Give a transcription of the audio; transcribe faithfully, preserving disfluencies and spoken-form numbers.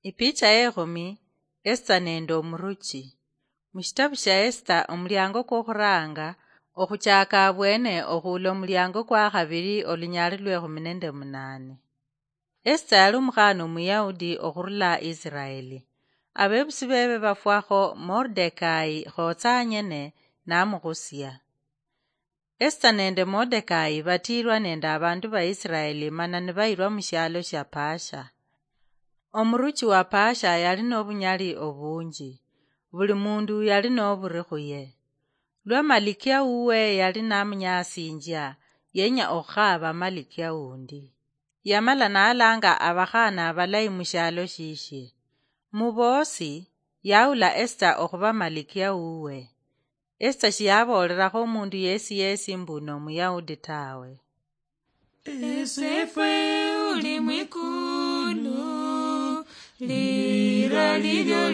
Ipicha yekhumi. Esita nende omuruchi. Mushitabu shia Esita, omuliango kwokhuranga, okhuchaka abwene okhuula omuliango kwa khabili, olunyali lwekhumi nende munane. Esita yali omukhana Omuyahudi okhurula Isiraeli. Abebusi bebe bafwakho Mordecai khotsanyene namukhusia. Esita nende Mordecai batiirwa nende abandu ba Isiraeli mana nibayirwa mushialo shia Paasha. Omuruchi wa Paasha yali nobunyali obunji. Buli mundu yali noburi khuye. Lwa malikia wuwe yali namunyasinjia, yenya okhukhaaba malikia wundi. Yamala nalanga abakhana abalayi mushialo shishie. Mubosi, yaula Esita okhuba malikia wuwe. Esita shiyaboolerakho omundu yesi yesi mbu n'Omuyahudi tawe. Esefwe uli mwikulu, lira lilyo